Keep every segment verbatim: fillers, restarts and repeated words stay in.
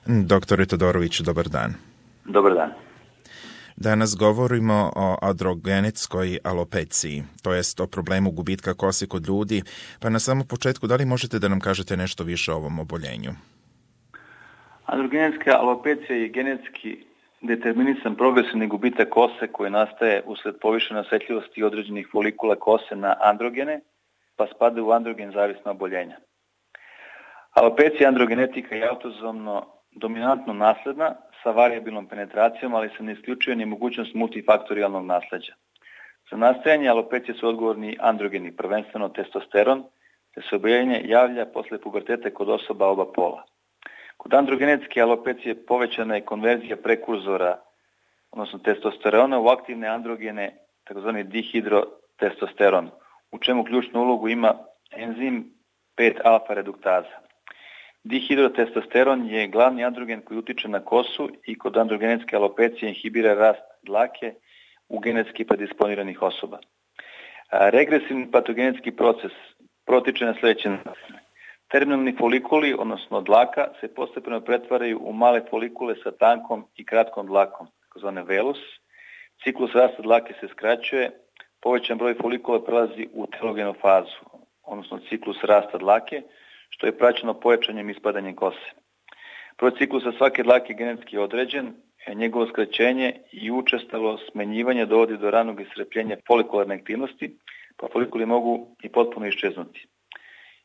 Doktore Todoroviću, dobar dan. Dobar dan. Danas govorimo o androgenetskoj alopeciji, to jest o problemu gubitka kose kod ljudi, pa na samom početku da li možete da nam kažete nešto više o ovom oboljenju? Androgenetska alopecija je genetski determinisan progresivni gubitak kose koji nastaje usled povišene osetljivosti određenih folikula kose na androgene, pa spada u androgen zavisna oboljenja. Alopecija androgenetika je autozomno dominantno nasledna sa varijabilnom penetracijom, ali se ne isključuje ni mogućnost multifaktorijalnog nasleđa. Za nastajanje alopecije su odgovorni androgeni, prvenstveno testosteron, te se oboljenje javlja posle puberteta kod osoba oba pola. Kod androgenetske alopecije povećana je konverzija prekurzora, odnosno testosterona, u aktivne androgene, takozvani dihidrotestosteron, u čemu ključnu ulogu ima enzim pet alfa reduktaza. Dihidrotestosteron je glavni androgen koji utiče na kosu i kod androgenetske alopecije inhibira rast dlake u genetski predisponiranih osoba. Regresivni patogenetski proces protiče na sljedeće načine. Terminalni folikuli, odnosno dlaka, se postepeno pretvaraju u male folikule sa tankom i kratkom dlakom, takozvane velus. Ciklus rasta dlake se skraćuje, povećan broj folikula prelazi u telogenu fazu, odnosno ciklus rasta dlake, što je praćeno pojačanjem ispadanjem kose. Broj ciklusa svake dlake je genetski određen, njegovo skraćenje i učestalo smenjivanje dovodi do ranog iscrpljenja folikularne aktivnosti, pa folikuli mogu i potpuno iščeznuti.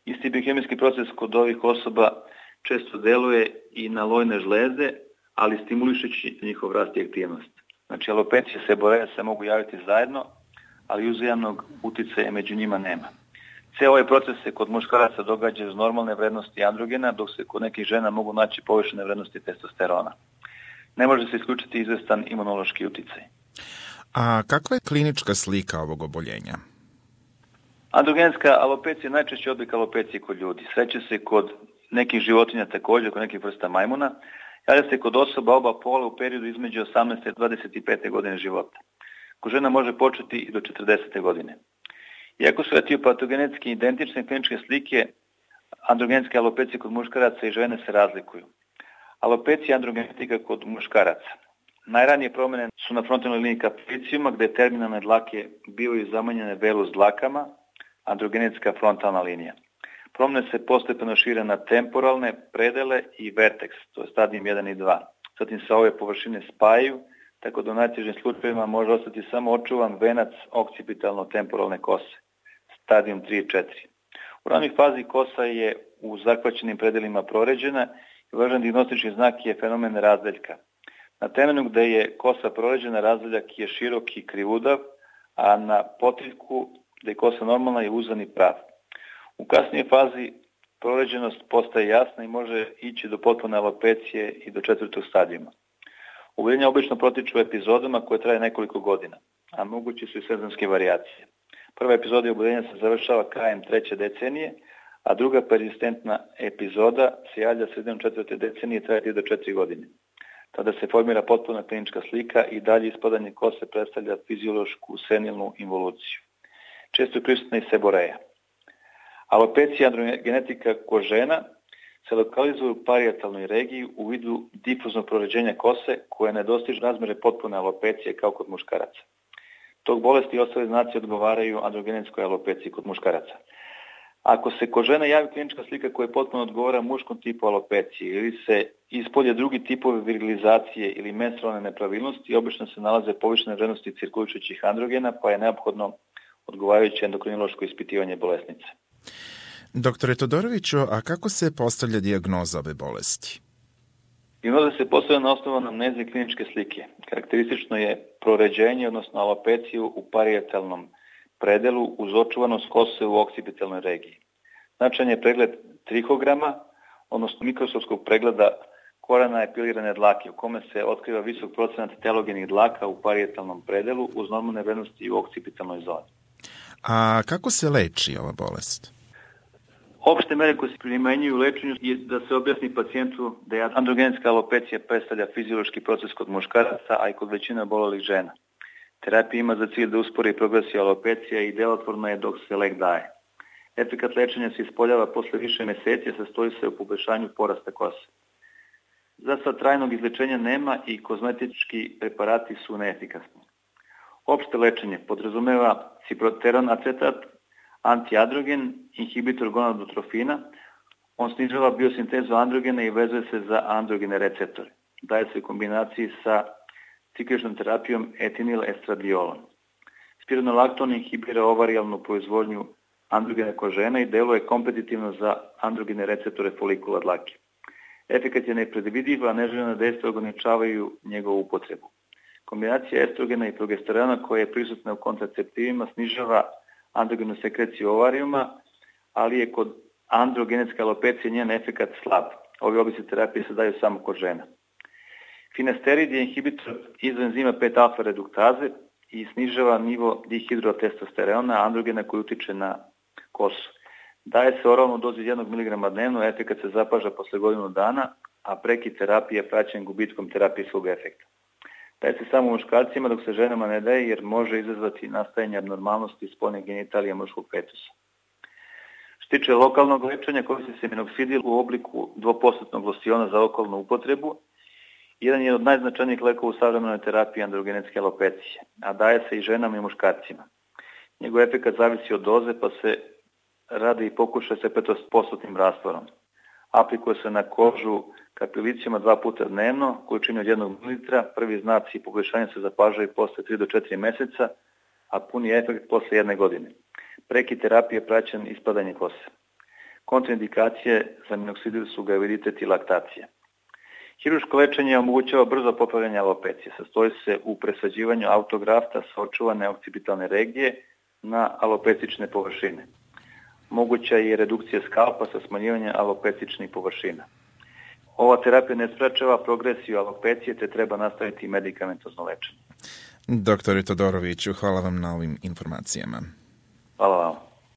Isti biohemijski proces kod ovih osoba često deluje i na lojne žlezde, ali stimulišući njihov rast i aktivnost. Znači, alopecije i seboreja se mogu javiti zajedno, ali uzajamnog uticaja među njima nema. Cijel ovaj proces se kod muškaraca događa uz normalne vrednosti androgena, dok se kod nekih žena mogu naći povišene vrednosti testosterona. Ne može se isključiti izvestan imunološki uticaj. A kakva je klinička slika ovog oboljenja? Androgenetska alopecija je najčešći oblik alopecije kod ljudi. Sreće se kod nekih životinja također, kod nekih vrsta majmuna. Javlja se kod osoba oba pola u periodu između osamnaeste i dvadeset pete godine života. Kod žena može početi i do četrdesete godine. Iako su etiopatogenetski identične kliničke slike, androgenetske alopecije kod muškaraca i žene se razlikuju. Alopecija androgenetika kod muškaraca. Najranije promjene su na frontalnoj liniji kapricijuma, gde terminalne dlake bivaju zamanjene velus dlakama, androgenetska frontalna linija. Promjene se postepeno šire na temporalne predele i vertex, to je stadijum jedan i dva. Zatim se ove površine spajaju, tako da u najtežim slučajevima može ostati samo očuvan venac okcipitalno-temporalne kose, stadijum tri i četiri. U ranoj fazi kosa je u zahvaćenim predelima proređena i važan dijagnostički znak je fenomen razdeljka. Na temenu gde je kosa proređena, razdeljak je širok i krivudav, a na potiljku gde je kosa normalna je uzan i prav. U kasnijoj fazi proređenost postaje jasna i može ići do potpune alopecije i do četvrtog stadijuma. Oboljenja obično protiču epizodama koje traje nekoliko godina, a mogući su i sezonske varijacije. Prva epizoda oboljenja se završava krajem treće decenije, a druga persistentna epizoda se javlja sredinom četvrte decenije i traje do četiri godine. Tada se formira potpuna klinička slika i dalje ispadanje kose predstavlja fiziološku senilnu involuciju. Često je prisutna i seboreja. Alopecija androgenetika kod žena se lokalizuje u parijetalnoj regiji u vidu difuznog proređenja kose koje ne dostiže razmere potpune alopecije kao kod muškaraca. Tog bolesti i ostale znaci odgovaraju androgenetskoj alopeciji kod muškaraca. Ako se kod žena javi klinička slika koja potpuno odgovara muškom tipu alopecije ili se ispolje drugi tipovi virilizacije ili menstrualne nepravilnosti, obično se nalaze povišene vrednosti cirkulišućih androgena, pa je neophodno odgovarajuće endokrinološko ispitivanje bolesnice. Doktore Todoroviću, a kako se postavlja dijagnoza ove bolesti? Dijagnoza se postavlja na osnovu anamneze i kliničke slike. Karakteristično je proređenje, odnosno alopeciju u parijetalnom predelu uz očuvanost kose u oksipitalnoj regiji. Značajan je pregled trihograma, odnosno mikroskopskog pregleda korena epilirane dlake, u kome se otkriva visok procenat telogenih dlaka u parijetalnom predelu uz normalne vrednosti u oksipitalnoj zoni. A kako se leči ova bolest? Opšte mere koje se primenjuju u lečenju je da se objasni pacijentu da je androgenetska alopecija predstavlja fiziološki proces kod muškaraca, a i kod većine obolelih žena. Terapija ima za cilj da uspori progresiju alopecija i delotvorna je dok se lek daje. Efekat lečenja se ispoljava posle više meseci, a sastoji se u poboljšanju porasta kose. Za sad trajnog izlečenja nema i kozmetički preparati su neefikasni. Opšte lečenje podrazumeva ciproteran acetat, antiandrogen, inhibitor gonadotrofina. On snižava biosintezu androgena i vezuje se za androgene receptore. Daje se u kombinaciji sa cikličnom terapijom etinil estradiolom. Spironolakton inhibira ovarijalnu proizvodnju androgena kod žena i deluje kompetitivno za androgene receptore folikula dlake. Efekat je nepredvidiv, a neželjena dejstva ograničavaju njegovu upotrebu. Kombinacija estrogena i progesterona koja je prisutna u kontraceptivima snižava androgenu sekreciju ovarijuma, ali je kod androgenetske alopecije njen efekat slab. Ovi oblici terapije se daju samo kod žena. Finasterid je inhibitor izoenzima pet alfa reduktaze i snižava nivo dihidrotestosterona, androgena koji utiče na kosu. Daje se oralno dozi jednog miligrama dnevno, efekat se zapaža posle godinu dana, a prekid terapije je praćen gubitkom terapijskog efekta. Daje se samo muškarcima dok se ženama ne daje jer može izazvati nastajanje abnormalnosti spoljne genitalije muškog fetusa. Što tiče lokalnog lečenja, koristi se minoksidil u obliku dvopostotnog losiona za okolnu upotrebu. Jedan je od najznačajnijih lekova u savremenoj terapiji androgenetske alopecije, a daje se i ženama i muškarcima. Njegov efekat zavisi od doze, pa se radi i pokušaj sa petostotnim rastvorom. Aplikuje se na kožu kapilicijama dva puta dnevno, količini od jednog mililitra. Prvi znaci poboljšanja se zapažaju posle tri do četiri meseca, a puni efekt posle jedne godine. Prekid terapije praćen ispadanje kose. Kontraindikacije za minoksidil su graviditet i laktacija. Hiruško lečenje omogućava brzo popravljanje alopecije. Sastoji se u presađivanju autografta sa očuvane okcipitalne regije na alopecične površine. Moguća je redukcija skalpa sa smanjivanjem alopecičnih površina. Ova terapija ne sprečava progresiju alopecije, te treba nastaviti medikamentozno lečenje. Doktore Todoroviću, hvala vam na ovim informacijama. Hvala vam.